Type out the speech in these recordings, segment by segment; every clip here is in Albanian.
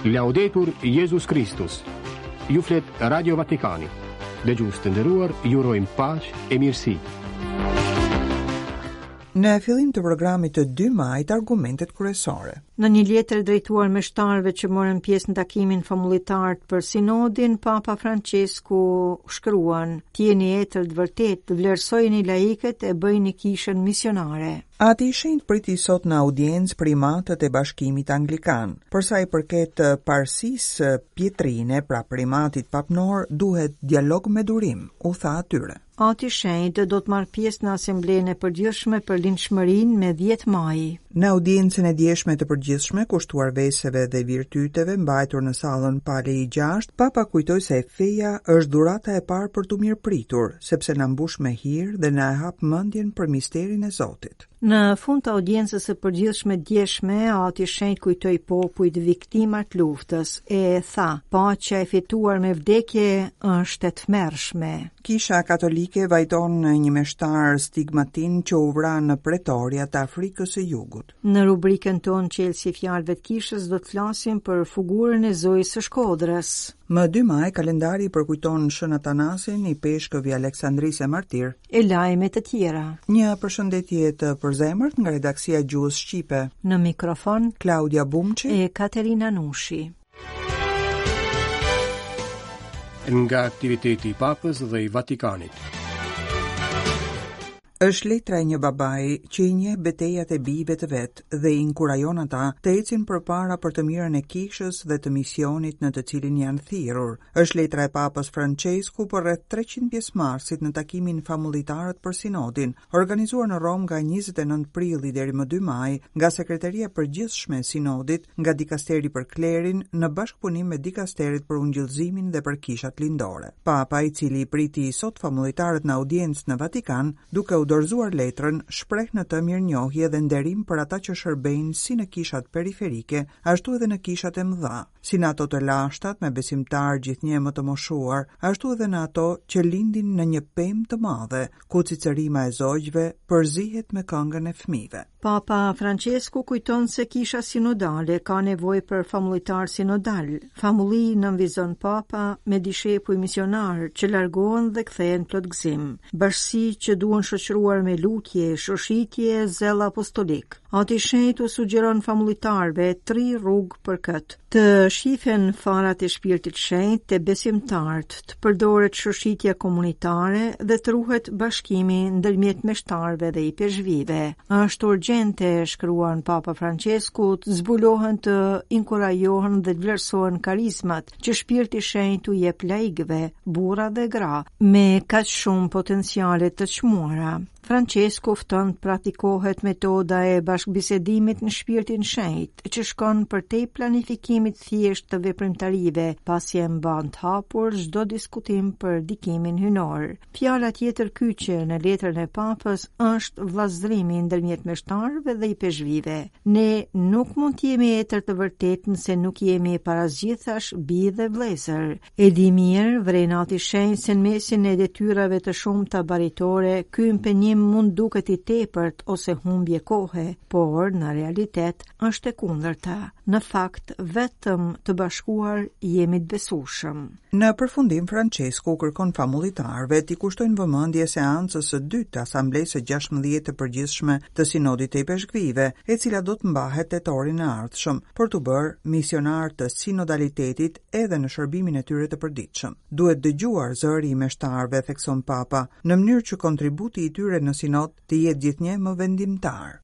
Laudetur Jezus Kristus. Ju flet Radio Vatikani. Dëgjues të nderuar, ju urojmë paqe e mirësi. Në fillim të programit të 2 majit argumentet kryesore. Në një letër drejtuar meshtarëve që morën pjesë në takimin famullitar për sinodin, Papa Francesku shkruan: "Të jeni etër të vërtetë, vlerësojini laikët e bëjini kishën misionare." Ati i Shenjtë priti sot në audiencë primatët e Bashkimit Anglikan. Për sa i përket parësisë pietrine, pra primatit papnor, duhet dialog me durim, u tha atyre. Ati i Shenjtë do të marrë pjesë në Asamblenë e Përgjithshme për Lindshmërinë me 10 maj. Në audiencën e djeshme të përgjithshme kushtuar veseve dhe virtyteve mbajtur në sallën Pali i 6, Papa kujtoi se feja është dhurata e parë për t'u mirëpritur, sepse na mbush me hir dhe na e hap mendjen për misterin e Zotit. Në fund të audiencës së përgjithshme djeshme, Ati i Shenjtë kujtoi popujt viktima të luftës e tha: "Paqja e fituar me vdekje është e tmerrshme." Kisha Katolike vajton një meshtar stigmatin që u vra në Pretoria të Afrikës së Jugut. Në rubrikën tonë Çelësi i Fjalëve të Kishës do të flasim për figurën e Zojës së Shkodrës. Më 2 maj kalendari përkujton Shën Atanasin, ipeshkëv i Aleksandrisë e martir. E lajme të tjera. Një përshëndetje të përzemërt nga redaksia e Gjuhës Shqipe. Në mikrofon Klaudia Bumçi e Katerina Nushi. Nga aktiviteti i Papës dhe i Vatikanit. Është letra e një babai që i njeh betejat e bijve të vet dhe i inkurajon ata të ecin përpara për të mirën e kishës dhe të misionit në të cilin janë thirrur. Është letra e Papës Françesku për rreth 300 pjesëmarrësit në takimin Famullitarët për Sinodin, organizuar në Romë nga 29 prilli deri më 2 maj nga Sekreteria e Përgjithshme e Sinodit, nga Dikasteri për Klerin në bashkëpunim me Dikasteret për Ungjillëzimin dhe për Kishat Lindore. Papa, i cili i priti sot famullitarët në audiencë në Vatikan, duke u dorëzuar letrën, shpreh në të mirënjohje dhe nderim për ata që shërbejnë si në kishat periferike, ashtu edhe në kishat e mëdha, si në ato të lashtat me besimtarë gjithnjë e më të moshuar, ashtu edhe në ato që lindin në një pemë të madhe, ku cicërima e zogjve përzihet me këngën e fëmijëve. Papa Francesku kujton se kisha sinodale ka nevojë për famullitarë sinodalë. Famulli nënvizon Papa me dishepuj misionarë që largohen dhe kthehen plot gëzim. Bashkësi që duhen shoqëruar me lutje, shoshitje e zell apostolik. Ati i Shenjtë u sugjeron famullitarëve tri rrugë për këtë. Të shifen farat e shpirtit shenjt te besimtarët, të përdoret shoshitja komunitare dhe të ruhet bashkimi ndërmjet meshtarëve dhe ipeshkvijve. Është urgjente, shkruan Papa Francesku, të zbulohen, të inkurajohen dhe të vlerësohen karizmat që shpirti i shenjt u jep laikëve, burra dhe gra, me kaq shumë potenciale të çmuara. Françesku fton të praktikohet metoda e bashkëbisedimit në shpirtin shenjt, që shkon përtej planifikimit thjesht të veprimtarive, pasi e mban të hapur çdo diskutim për ndikimin hyjnor. Fjala tjetër kyçe në letrën e Papës është vëllazërimi ndërmjet meshtarëve dhe ipeshkvijve. Ne nuk mund të jemi etër të vërtetë nëse nuk jemi para së gjithash bij dhe vëllezër. E di mirë, vëren Ati i Shenjtë se në mesin e detyrave të shumta baritore, ky impenjim mund duket i tepërt ose humbje kohe, por në realitet është e kundërta. Në fakt, vetëm të bashkuar jemi të besueshëm. Në përfundim, Françesku u kërkon famullitarëve t'i kushtojnë vëmendje seancës së dytë të Asamblesë së 16 të Përgjithshme të Sinodit të Ipeshkvijve, e cila do të mbahet tetorin e ardhshëm, për t'u bërë misionarë të sinodalitetit edhe në shërbimin e tyre të përditshëm. Duhet dëgjuar zëri i meshtarëve, thekson Papa, në mënyrë që kontributi i tyre në sinod të jetë gjithnjë më vendimtar.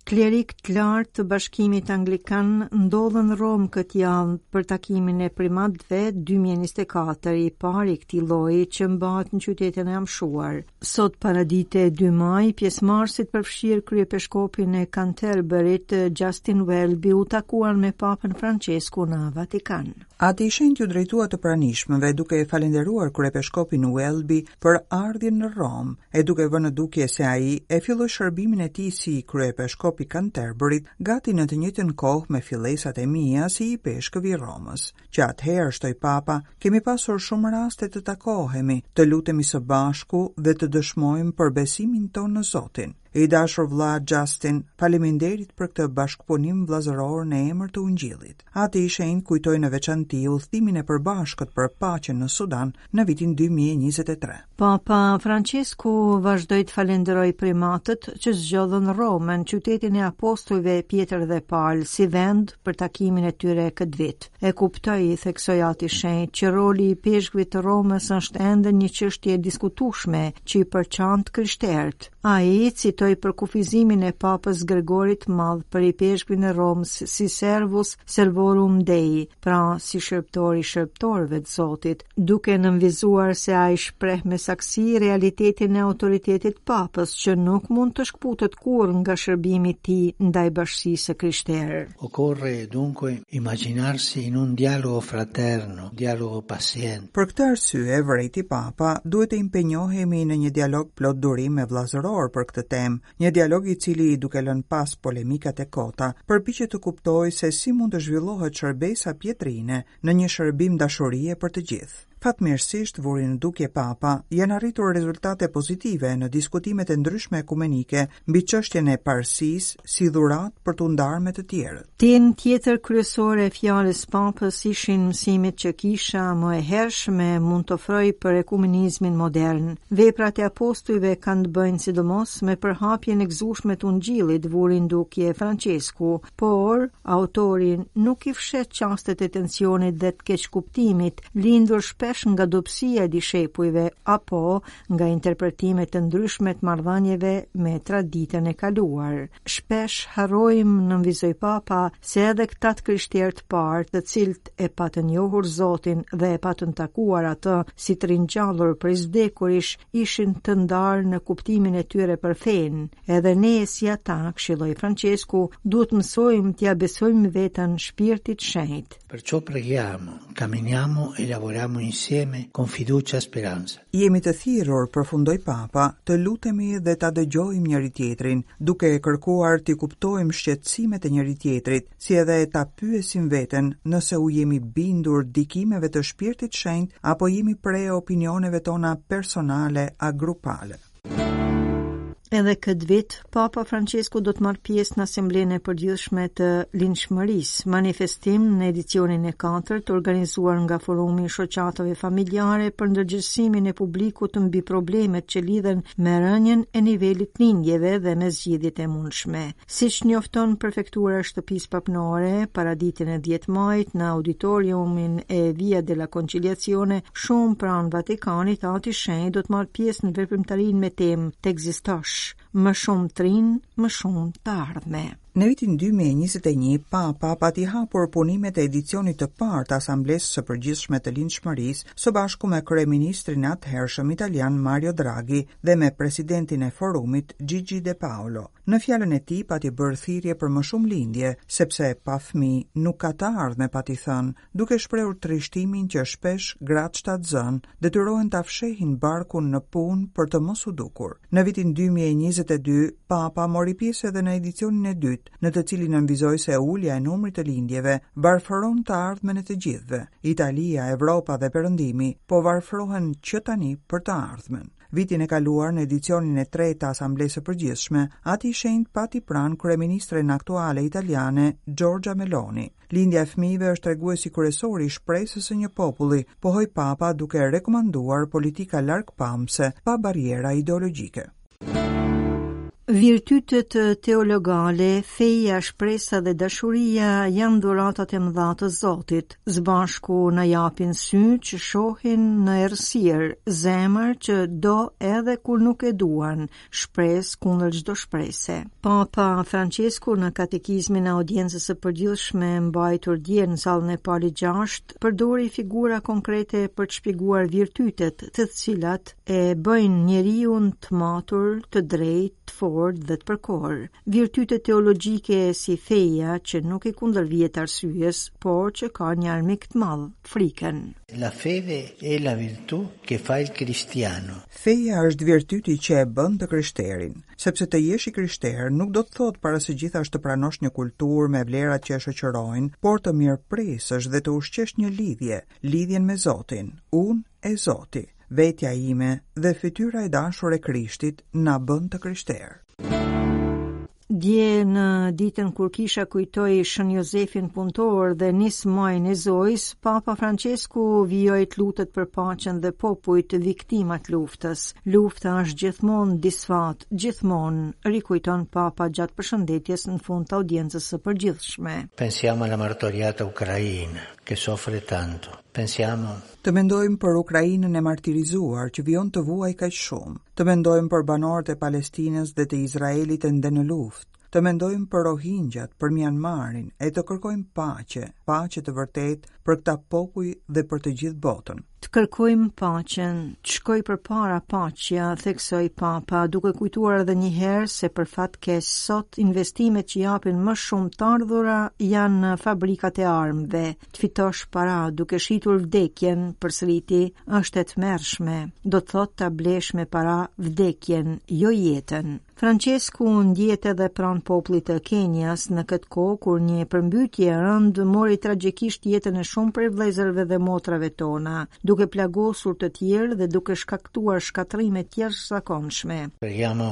Klerikë të lartë të Bashkimit Anglikan ndodhen në Romë këtë javë për takimin e primatëve 2024, i pari i këtij lloji që mbahet në qytetin e amshuar. Sot paradite 2 maj, pjesëmarrësit përfshirë kryepeshkopin e Canterburyt, Justin Welby, u takuan me Papën Francesku në Vatikan. Ati i Shenjtë iu drejtua të pranishmëve duke e falënderuar kryepeshkopin Welby për ardhjen në Romë, e duke vënë në dukje se ai e filloi shërbimin e tij si kryepeshkop i Canterburyt gati në të njëjtën kohë me fillesat e mia si ipeshkëv i Romës. Që atëherë, shtoi Papa, kemi pasur shumë raste të takohemi, të lutemi së bashku dhe të dëshmojmë për besimin tonë në Zotin. I dashur vëlla Justin, faleminderit për këtë bashkëpunim vëllazëror në emër të Ungjillit. Ati i Shenjtë kujtoi në veçanti udhëtimin e përbashkët për paqen në Sudan në vitin 2023. Papa Françesku vazhdoi të falënderojë primatët që zgjodhën Romën, qytetin e apostujve Pjetër dhe Pal, si vend për takimin e tyre këtë vit. E kuptoj, theksoi Ati i Shenjtë, që roli i ipeshkvit të Romës është ende një çështje e diskutueshme që i përçan të krishterët. Ai citoi përkufizimin e Papës Gregorit të Madh për ipeshkvin e Romës si servus servorum Dei, pra si shërbëtor i shërbëtorëve të Zotit, duke nënvizuar se ai shpreh me saktësi realitetin e autoritetit të Papës që nuk mund të shkëputet kurrë nga shërbimi i tij ndaj bashkësisë së krishterë. Occorre dunque immaginarsi in un dialogo fraterno, dialogo paziente. Për këtë arsye, vërejti Papa, duhet të impenjohemi në një dialog plot durim e vëllazëror për këtë temë, një dialog i cili, duke lënë pas polemikat e kota, përpiqet të kuptojë se si mund të zhvillohet shërbesa pjetrine në një shërbim dashurie për të gjithë. Fatmirësisht, vuri në dukje Papa, janë arritur rezultate pozitive në diskutimet e ndryshme ekumenike mbi çështjen e parësisë si dhuratë për t'u ndarë me të tjerët. Temë tjetër kryesore e fjalës së Papës ishin mësimet që kisha më e hershme mund të ofrojë për ekumenizmin modern. Veprat e apostujve kanë të bëjnë sidomos me përhapjen e gëzueshme të Ungjillit, vuri në dukje Françesku, Por, autori nuk i fsheh çastet e tensionit dhe të keqkuptimit, lindur shpesh nga dobësia e dishepujve apo nga interpretime të ndryshme të marrëdhënieve me traditën e kaluar. Shpesh harrojmë, nënvizoi Papa, se edhe këta të krishterë të parë, të cilët e patën njohur Zotin dhe e patën takuar atë si të ringjallur prej së vdekurish, ishin të ndarë në kuptimin e tyre për fenë. Edhe ne si ata, këshilloi Françesku, duhet të mësojmë t'ia besojmë veten Shpirtit të Shenjtë. Perciò preghiamo, camminiamo e lavoriamo insieme con fiducia e speranza. Jemi të thirrur, përfundoi Papa, të lutemi dhe ta dëgjojmë njëri-tjetrin, duke kërkuar t'i kuptojmë shqetësimet e njëri-tjetrit, si edhe ta pyesim veten nëse u jemi bindur dikimeve të Shpirtit Shenjt apo jemi pre e opinioneve tona personale a grupale. Edhe këtë vit, Papa Françesku do të marrë pjesë në Asamblenë e Përgjithshme të Lindshmërisë, manifestim në edicionin e katërt organizuar nga Forumi i Shoqatave Familjare për ndërgjegjësimin e publikut mbi problemet që lidhen me rënien e nivelit të lindjeve dhe me zgjidhjet e mundshme. Siç njofton Prefektura e Shtëpisë Papnore, paraditen e 10 majit në auditoriumin e Via della Conciliazione, shumë pranë Vatikanit, Ati i Shenjtë do të marrë pjesë në veprimtarinë me temë Të ekzistosh, më shumë të rinj, më shumë të ardhme. Në vitin 2021, Papa pati hapur punimet e edicionit të parë të Asamblesë së Përgjithshme të Lindshmërisë së bashku me kryeministrin e atëhershëm italian Mario Draghi dhe me presidentin e forumit Gigi De Paolo. Në fjalën e tij pati bërë thirrje për më shumë lindje, sepse pa fëmijë nuk ka të ardhme pati thënë, duke shprehur trishtimin që shpesh gratë shtatzënë detyrohen ta fshehin barkun në punë për të mos u dukur. Në vitin 2022, Papa mori pjesë edhe në edicionin e dytë, në të cilin nënvizoi se ulja e numrit të lindjeve varfëron të ardhmen e të gjithëve. Italia, Evropa dhe Perëndimi po varfërohen që tani për të ardhmen. Vitin e kaluar në edicionin e tretë të Asamblesë së Përgjithshme, Ati i Shenjtë pati pranë kryeministren aktuale italiane, Giorgia Meloni. Lindja e fëmijëve është treguesi kryesor i shpresës së një populli, pohoi Papa duke rekomanduar politika largpamëse, pa barriera ideologjike. Virtytet teologale, feja, shpresa dhe dashuria janë dhuratat e mëdha të Zotit. Së bashku na japin sy që shohin në errësirë, zemër që do edhe kur nuk e duan, shpresë kundër çdo shprese. Papa Françesku në katekizmin e audiencës së përgjithshme mbajtur dje në sallën e Palit VI, përdori figura konkrete për të shpjeguar virtytet, të cilat e bëjnë njeriun të matur, të drejtë, të fortë dhe të përkorë. Virtytet teologjike si feja që nuk i kundërvihet arsyes, por që ka një armik të madh, frikën. La fede è la virtù che fa il cristiano. Feja është virtyti që e bën të krishterin, sepse të jesh i krishterë nuk do të thotë para së gjithash të pranosh një kulturë me vlerat që e shoqërojnë, por të mirëpresësh dhe të ushqesh një lidhje, lidhjen me Zotin, unë e Zoti. Vetja ime dhe fytyra e dashur e Krishtit na bën të krishterë. Dje në ditën kur kisha kujtoi Shën Jozefin punëtor dhe nis majin e Zojës, Papa Françesku vijoi të lutet për paqen dhe popujt viktima të luftës. Lufta është gjithmonë disfatë, gjithmonë, rikujton Papa gjatë përshëndetjes në fund të audiencës së përgjithshme. Pensiamo alla martoriata Ucraina, che soffre tanto. Pensiamo Të mendojmë për Ukrainën e martirizuar që vijon të vuajë kaq shumë. Të mendojmë për banorët e Palestinës dhe të Izraelit ende në luftë. Të mendojmë për Rohingjat, për Mianmarin e të kërkojmë paqe, paqe të vërtetë për këta popuj dhe për të gjithë botën. Të kërkojmë paqen, të shkojë përpara paqja, theksoi Papa, duke kujtuar edhe një herë se për fat keq sot investimet që japin më shumë të ardhura janë në fabrikat e armëve. Të fitosh para duke shitur vdekjen, përsëriti, është e tmerrshme. Do të thotë ta blesh me para vdekjen, jo jetën. Françesku ndjehet edhe pranë popullit të Kenias në këtë kohë kur një përmbytje e rëndë mori tragjikisht jetën e shumë prej vëllezërve dhe motrave tona, duke plagosur të tjerë dhe duke shkaktuar shkatërrime të jashtëzakonshme. Preghiamo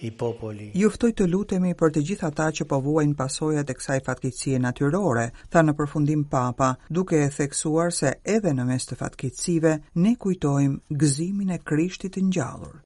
i popoli. Ju ftoj të lutemi për të gjithë ata që po vuajnë pasojat e kësaj fatkeqësie natyrore, tha në përfundim Papa, duke e theksuar se edhe në mes të fatkeqësive ne kujtojmë gëzimin e Krishtit të ngjallur.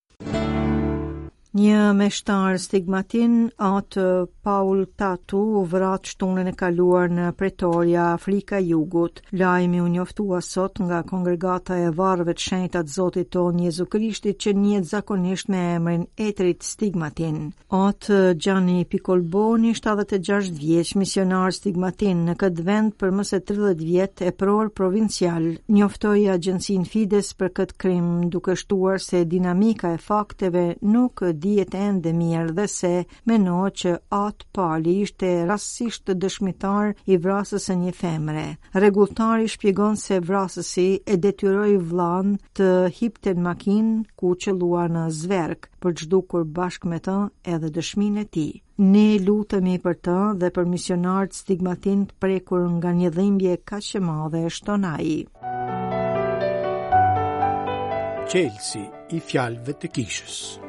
Një meshtar stigmatin, atë Paul Tatu, u vra të shtunën e kaluar në Pretoria, Afrika e Jugut. Lajmi u njoftua sot nga kongregata e varreve të shenjta të Zotit tonë Jezu Krishtit që njihet zakonisht me emrin Etrit Stigmatin. Atë Gianni Piccolboni, 76 vjeç, misionar stigmatin në këtë vend për më se 30 vjet epror provincial, njoftoi agjencinë Fides për këtë krim, duke shtuar se dinamika e fakteve nuk dihet ende mirë dhe se mendohet që Atë Pali ishte rastësisht dëshmitar i vrasjes së një femre. Rregulltari shpjegon se vrasësi e detyroi vëllanë të hipte në makinë ku u qëllua në zverk. për të zhdukur bashkë me të edhe dëshminë e tij. Ne lutemi për të dhe për misionarët stigmatinë të prekur nga një dhimbje kaq e madhe, shton ai. Çelësi i fjalëve të kishës.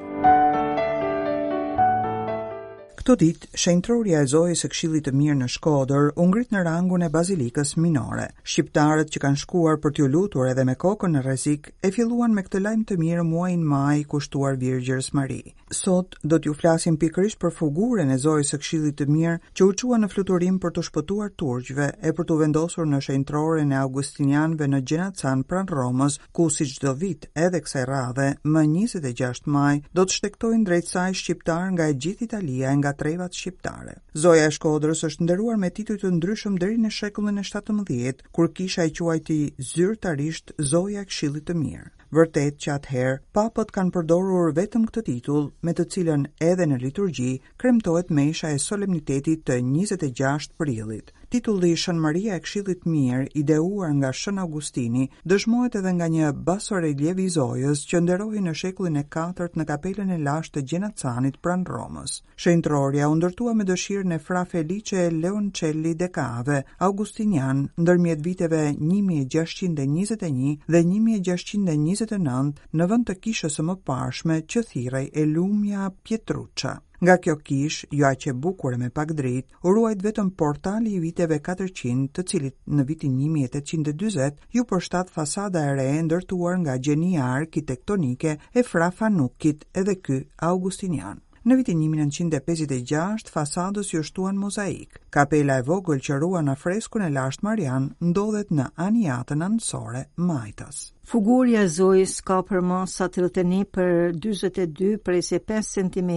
Këto ditë, shenjtërorja e Zojës së Këshillit të Mirë në Shkodër u ngrit në rangun e Bazilikës Minore. Shqiptarët që kanë shkuar për t'iu lutur edhe me kokën në rrezik, e filluan me këtë lajm të mirë muajin maj kushtuar Virgjërës Mari. Sot do t'ju flasim pikërisht për fugurën e Zojës së Këshillit të Mirë që u çua në fluturim për t'u shpëtuar turqve e për t'u vendosur në shenjtëroren e Augustinianëve në Gjenacan pranë Romës, ku si çdo vit edhe kësaj radhe, më 26 maj, do të shtegtojnë drejt saj shqiptarë nga e gjithë Italia e nga trevat shqiptare. Zoja e Shkodrës është nderuar me tituj të ndryshëm deri në shekullin e 17, kur kisha e quajti zyrtarisht Zoja e Këshillit të Mirë. Vërtet që atëherë, papët kanë përdorur vetëm këtë titull, me të cilën edhe në liturgji kremtohet mesha e solemnitetit të 26 prillit. Titulli Shën Maria e Këshillit të Mirë, ideuar nga Shën Augustini, dëshmohet edhe nga një basoreliev i Zojës që nderohej në shekullin e katërt në kapelën e lashtë të Gjenacanit pranë Romës. Shenjtërorja u ndërtua me dëshirën e Fra Felice Leoncelli de Cave, augustinian, ndërmjet viteve 1621 dhe 1629 në vend të kishës së mëparshme që thirrej e lumja Pietruccia. Nga kjo kishë, jo aq e bukur e me pak dritë, u ruajt vetëm portali i viteve 400, të cilit në vitin 1840 iu përshtat fasada e re e ndërtuar nga gjenia arkitektonike e Fra Fanukkit, edhe ky augustinian. Në vitin 1956, fasadës iu shtuan mozaikë. Kapela e vogël që ruan afreskun e lashtë marian ndodhet në aniatën anësore majtas. Fugurja e Zojës ka përmasa 31 për 42 presje 5 cm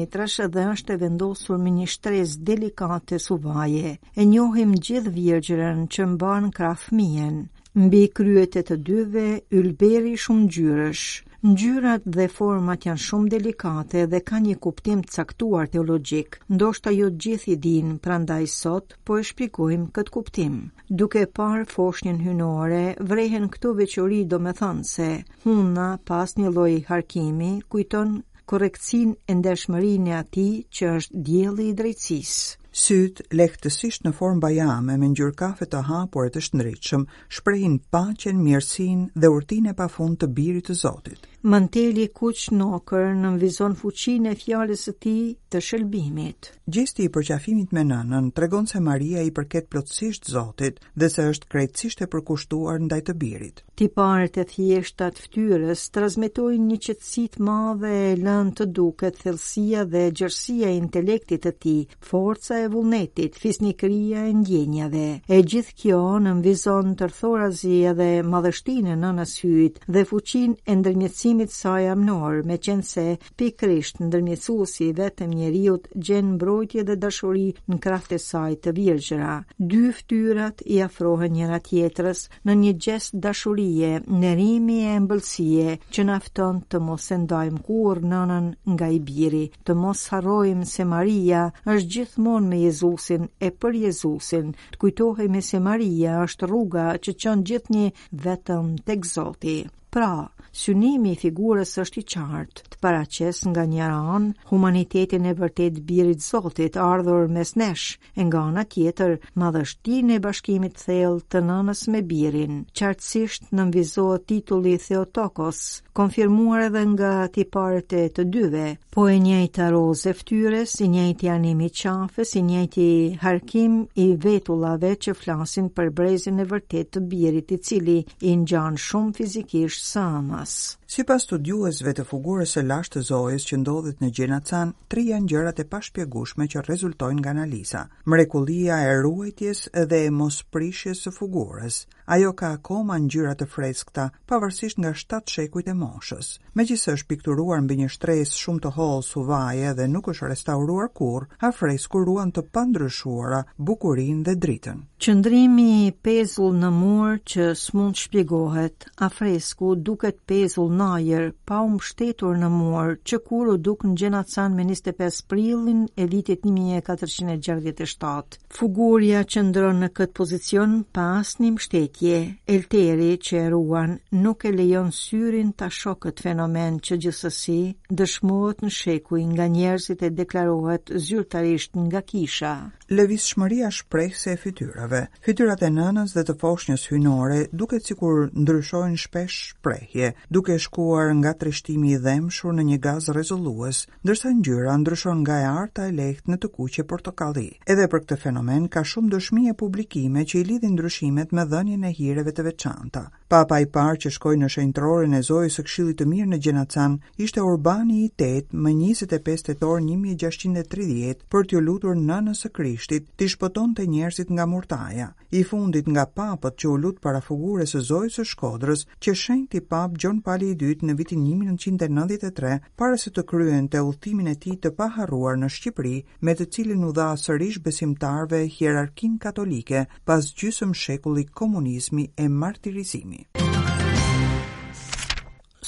dhe është e vendosur me një shtresë delikate suvaje. E njohim gjithë virgjërën që mban në krah fëmijën. Mbi kryet e të dyve, ylberi shumëngjyrësh. Ngjyrat dhe format janë shumë delikate dhe kanë një kuptim të caktuar teologjik. Ndoshta jo të gjithë i dinë, prandaj sot po e shpjegojmë këtë kuptim. Duke parë foshnjën hyjnore, vrehen këto veçori domethënëse. Hunda, pa asnjë lloj harkimi, kujton korrektësinë e ndershmërinë e atij që është dielli i drejtësisë. Sytë, lehtësisht në formë bajame me ngjyrë kafe të hapur e të shndritshëm, shprehin paqen, mirësinë dhe urtinë e pafund të Birit të Zotit. Manteli i kuq nokër nënvizon fuqinë e fjalës së tij të shëlbimit. Gjesti i përqafimit me nënën tregon se Maria i përket plotësisht Zotit dhe se është krejtësisht e përkushtuar ndaj të Birit. Tiparet e thjeshta të fytyrës transmetojnë një qetësi të madhe e lënë të duket thellësia dhe gjerësia e intelektit të tij, forca e vullnetit, fisnikëria e ndjenjave. E gjithë kjo nënvizon tërthorazi edhe madhështinë e nënës Hyjit dhe fuqinë e ndërmjetësimit të saj amnor, meqenëse pikërisht ndërmjetësuesi i vetëm i njeriut gjen mbrojtje dhe dashuri në krahët e saj të virgjëra. Dy fytyrat i afrohen njëra tjetrës në një gjest dashurie, nderimi e ëmbëlsie që na fton të mos e ndajmë kurrë nënën nga i biri, të mos harrojmë se Maria është gjithmonë me Jezusin e për Jezusin, të kujtohemi se Maria është rruga që çon gjithnjë vetëm tek Zoti. Pra, synimi i figurës është i qartë, të paraqesë nga njëra anë humanitetin e vërtetë të birit Zotit ardhur mes nesh, e nga ana tjetër madhështinë e bashkimit të thellë të nënës me birin. Qartësisht nënvizohet titulli Theotokos, konfirmuar edhe nga tiparet e të dyve, po e njëjta rozë e fytyrës, i njëjti anim i qafës, i njëjti harkim i vetullave që flasin për brezin e vërtetë të birit i cili i ngjan shumë fizikisht së ëmës. Sipas studiuesve të figurës së lashtë të Zojës që ndodhet në Gjenacan, Tri janë gjërat e pashpjegueshme që rezultojnë nga analiza. Mrekullia e ruajtjes dhe e mosprishjes së figurës. Ajo ka akoma ngjyra të freskëta, pavarësisht nga 7 shekujt e moshës. Megjithëse është pikturuar mbi një shtresë shumë të hollë suvaje dhe nuk është restauruar kurrë, afresku ruan të pandryshuara bukurinë dhe dritën. Qëndrimi pezull në mur që s'mund të shpjegohet, Afresku duket pezull në ajër, pa u mbështetur në mur, që kur u duk në Gjenacan me 25 prillin e vitit 1467. Figurja qëndron në këtë pozicion pa asnjë mbështetje. Elteri që e ruan nuk e lejon syrin ta shohë këtë fenomen që gjithsesi dëshmohet në shekuj nga njerëzit e deklarohet zyrtarisht nga kisha. Lëvizshmëria shprehëse e fytyrave. Fytyrat e nënës dhe të foshnjës hyjnore duket sikur ndryshojnë shpesh shprehje, duke shkuar nga trishtimi i dhembshur në një gaz rrezullues, ndërsa ngjyra ndryshon nga e arta e lehtë në të kuqe portokalli. Edhe për këtë fenomen ka shumë dëshmi e publikime që i lidhin ndryshimet me dhënien e hireve të veçanta. Papa i parë që shkoi në shenjtëroren e Zojës së Këshillit të Mirë në Gjenacan ishte Urbani i VIII më 25 tetor 1630 për t'iu lutur Nënës së Krishtit t'i shpëtonte njerëzit nga murtaja. I fundit nga papët që u lut para figurës së Zojës së Shkodrës qe shenjti Papë Gjon Pali i II në vitin 1993 para se të kryente udhëtimin e tij të paharruar në Shqipëri me të cilin u dha sërish besimtarëve hierarkinë katolike pas gjysmë shekulli komunizmi e martirizimi.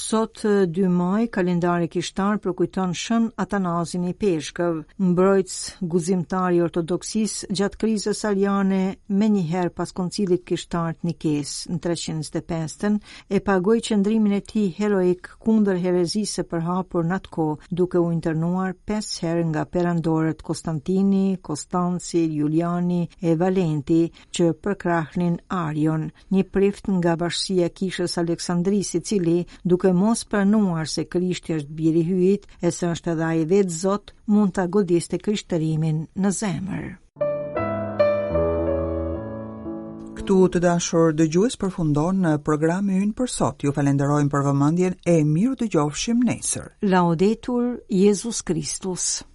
Sot 2 maj, kalendari kishtar përkujton Shën Atanazin Ipeshkëv, mbrojtës guximtar i ortodoksisë gjatë krizës ariane menjëherë pas koncilit kishtar të Nikesë në 325-ën, e pagoi qëndrimin e tij heroik kundër herezisë së përhapur në atë kohë, duke u internuar 5 herë nga perandorët Konstantini, Konstanci, Juliani e Valenti, që përkrahnin Arion, një prift nga bashkësia e kishës Aleksandrisë, i cili, duke mos pranuar se Krishti është biri i Hyjit e se është edhe ai vetë Zot, mund ta godiste krishtërimin në zemër. Këtu të dashur dëgjues përfundon programi ynë për sot. Ju falenderojmë për vëmendjen e mirudëgjofshim nesër. Laudetur Jezus Kristus.